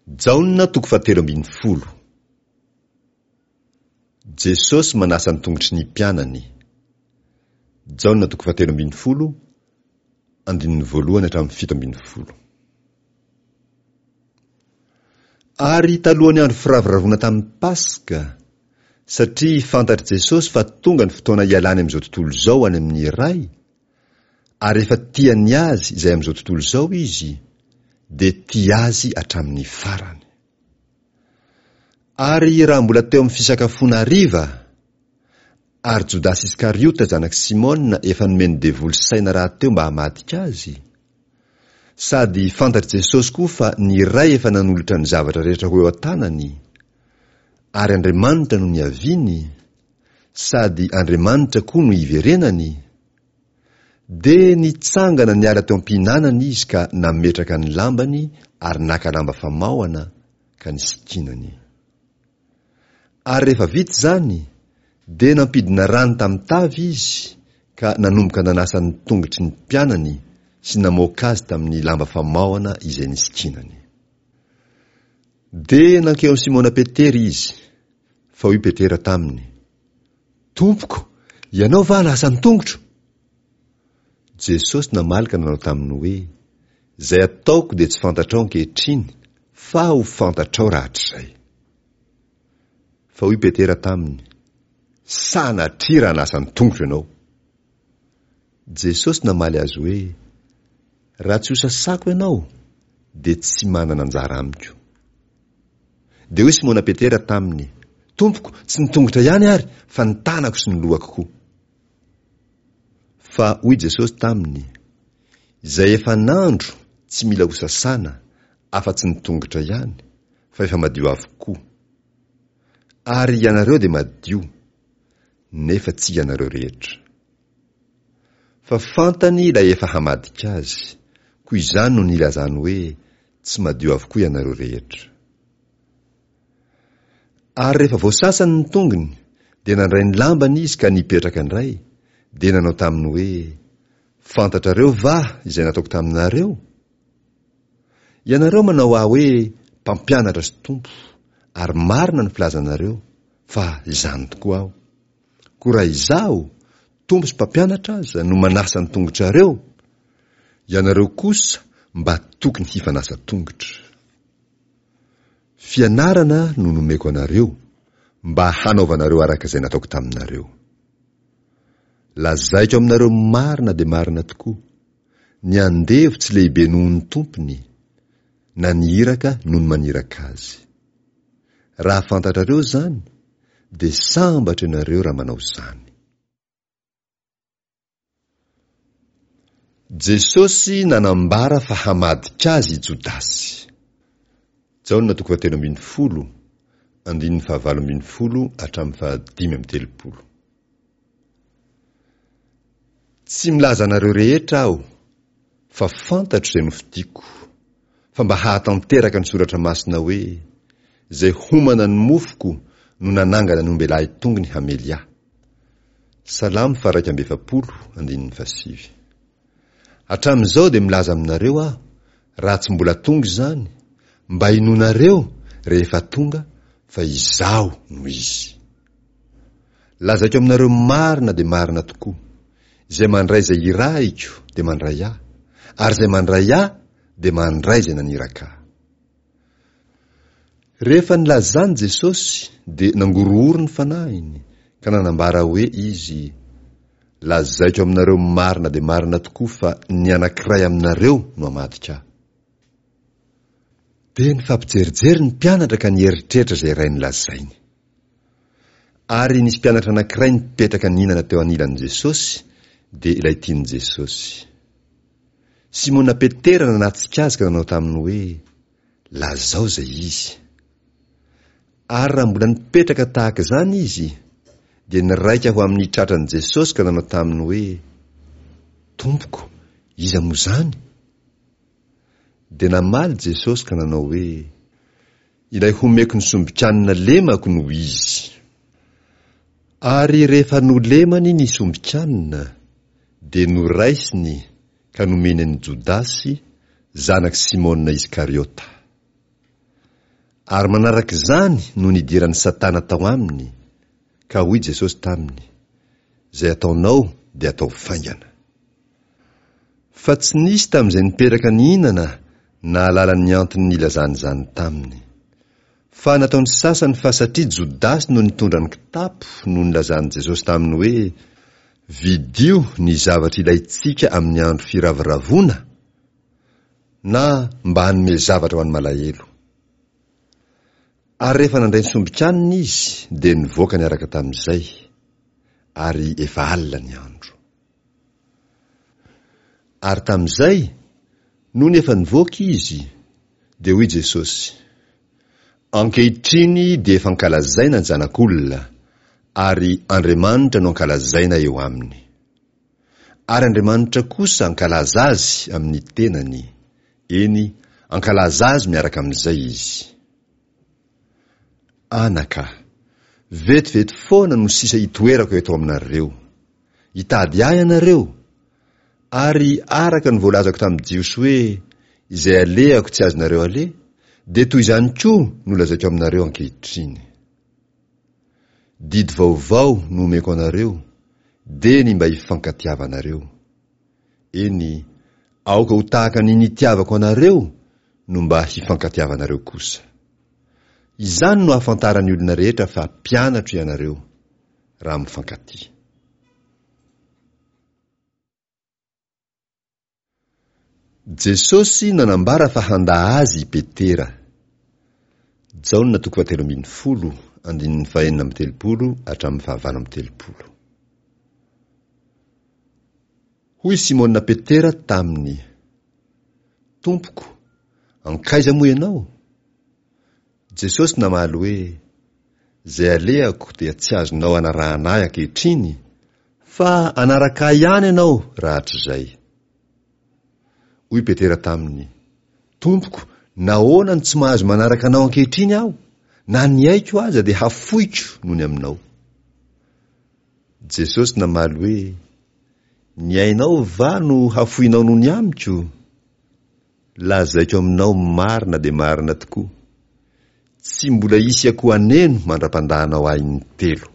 Jaona toko fahatelo ambin'ny folo. Jesosy manasa ny tongotry ny mpianany. Jaona toko fahatelo ambin'ny folo, andininy voalohany hatramin'ny 17. Ary talohan'ny andro firavoravoana tamin'ny Paska, satria fantatr'i Jesosy fa tonga ny fotoana hialany amin'izao tontolo izao any amin'ny Ray, ary efa tia ny azy izay amin'izao tontolo izao Izy, dia tia azy hatramin'ny farany. Ary raha mbola teo amin'ny fisakafoana hariva, ary Jodasy Iskariota zanak'i Simona efa nomen'ny devoly saina rahateo mba hamadika azy, sady fantatr'i Jesosy koa fa ny Ray efa nanolotra ny zavatra rehetra ho eo an-tanany, ary Andriamanitra no niaviany, sady Andriamanitra koa no hiverenany, dia nitsangana niala teo am-pihinanana izy ka nametraka ny lambany ary naka lamba famaohana ka nisikinany. Ary rehefa vita izany, dia nampidina rano tamin'ny tavy izy ka nanomboka nanasa ny tongotry ny mpianany sy namoaka azy tamin'ny lamba famaohana izay nisikinany. Dia nankeo amin'i Simona Petera izy, fa hoy Petera taminy, Tompoko, ianao va hanasa ny tongotro? Jesosy namaly ka nanao taminy hoe, Izay ataoko dia tsy fantatrao ankehitriny, fa ho fantatrao rahatrizay. Fa hoy Petera taminy, Sanatria raha hanasa ny tongotro ianao. Jesosy namaly azy hoe, Raha tsy hosasako ianao, dia tsy manana anjara amiko. Dia hoy Simona Petera taminy, Tompoko, tsy ny tongotra ihany ary, fa ny tanako sy ny lohako koa. Fa hoy Jesosy taminy, Izay efa nandro tsy mila hosasana, afa-tsy ny tongotra ihany, fa efa madio avokoa. Ary ianareo dia madio, nefa tsy ianareo rehetra. Fa fantany ilay efa hamadika azy, koa izany no nilazany hoe, Tsy madio avokoa ianareo rehetra. Ary rehefa voasasany ny tongony, dia nandray ny lambany izy ka nipetraka indray, dia nanao taminy hoe, Fantatrareo va izay nataoko taminareo? Ianareo manao ahy hoe Mpampianatra sy Tompo, ary marina ny filazanareo, fa izany tokoa aho. Koa raha izaho, Tompo sy Mpampianatra aza, no manasa ny tongotrareo, ianareo kosa mba tokony hifanasa tongotra. Fianarana no nomeko anareo, mba hanaovanareo araka izay nataoko taminareo. Lazaiko aminareo marina dia marina tokoa, ny andevo tsy lehibe noho ny tompony, na ny iraka noho ny maniraka azy. Raha fantatrareo izany, dia sambatra ianareo raha manao izany. Jesosy nanambara fa hamadika azy i Jodasy. Jaona toko fahatelo ambin'ny folo, andininy fahavalo ambin'ny folo hatramin'ny fahadimy amby telopolo. Tsy milaza anareo rehetra aho, fa fantatro izay nofidiko, fa mba hahatanteraka ny soratra masina hoe, Izay homana ny mofoko no nanangana ny ombelahy tongony hamely ahy. Salamo faha-41, andininy fahasivy. Hatramin'izao dia milaza aminareo aho, raha tsy mbola tonga izany, mba hinoanareo rehefa tonga fa Izaho no Izy. Lazaiko aminareo marina dia marina tokoa, izay mandray izay irahiko dia mandray Ahy, ary izay mandray Ahy dia mandray izay naniraka Ahy. Rehefa nilaza izany Jesosy dia nangorohoro ny fanahiny ka nanambara hoe Izy, Lazaiko aminareo marina dia marina tokoa fa ny anankiray aminareo no hamadika Ahy. Dia nifampijerijery ny mpianatra ka nieritreritra izay iray nolazainy. Ary nisy mpianatra anankiray nipetraka nihinana teo anilan'i Jesosy, dia ilay tian'i Jesosy. Simona Petera nanatsika azy ka nanao taminy hoe, Lazao izay izy. Ary raha mbola nipetraka tahaka izany izy, dia niraika ho amin'ny tratran'i Jesosy ka nanao taminy hoe, Tompoko, iza moa izany? Dia namaly Jesosy ka nanao hoe, Ilay homeko ny sombin-kanina lemako no izy. Ary rehefa nolemany ny sombin-kanina, dia noraisiny ka nomeny an'i Jodasy, zanak'i Simona Iskariota. Ary manaraka izany no nidiran'i Satana tao aminy, ka hoy Jesosy taminy, Izay ataonao dia ataovy faingana. Fa tsy nisy tamin'izay nipetraka nihinana nahalala ny antony nilazany izany taminy. Fa nataon'ny sasany fa satria Jodasy no nitondra ny kitapo no nilazan'i Jesosy taminy hoe, Vidio ny zavatra ilaintsika amin'ny andro firavoravoana, na mba hanome zavatra ho an'ny malahelo. Ary rehefa nandray ny sombin-kanina izy, dia nivoaka niaraka tamin'izay, ary efa alina ny andro. Ary tamin'izay, nony efa nivoaka izy, dia hoy Jesosy, Ankehitriny dia efa ankalazaina ny Zanak'olona, ary Andriamanitra no ankalazaina eo aminy. Ary Andriamanitra kosa ankalaza azy amin'ny tenany, eny, ankalaza azy miaraka amin'izay izy. Anaka, vetivety foana no sisa itoerako eto aminareo. Hitady ahy ianareo, ary araka ny voalazako tamin'ny Jiosy hoe, Izay alehako tsy azonareo aleha, dia toy izany koa no lazaiko aminareo ankehitriny. Didy vaovao no omeko anareo, dia ny mba hifankatiavanareo. Eny, aoka ho tahaka ny nitiavako anareo no mba hifankatiavanareo kosa. Izany no ahafantaran'ny olona rehetra fa mpianatro ianareo. raha mifankatia. Jesosy nanambara fa handà Azy i Petera. Jaona toko fahatelo ambin'ny folo, andininy fahenina amby telopolo hatramin'ny fahavalo amby telopolo. Hoy Simona Petera taminy, Tompoko, ankaiza moa ianao? Jesosy namaly hoe, Izay alehako dia tsy azonao anarahana ahy ankehitriny, fa hanaraka ahy ihany ianao rahatrizay. Hoy Petera taminy, Tompoko, nahoana no tsy mahazo manaraka anao ankehitriny aho? Na ny aiko aza dia hafoiko noho ny aminao. Jesosy namaly hoe, Ny ainao va no hafoinao noho ny amiko? Lazaiko aminao marina dia marina tokoa, tsy mbola hisy akoho haneno mandra-pandahanao ahy intelo.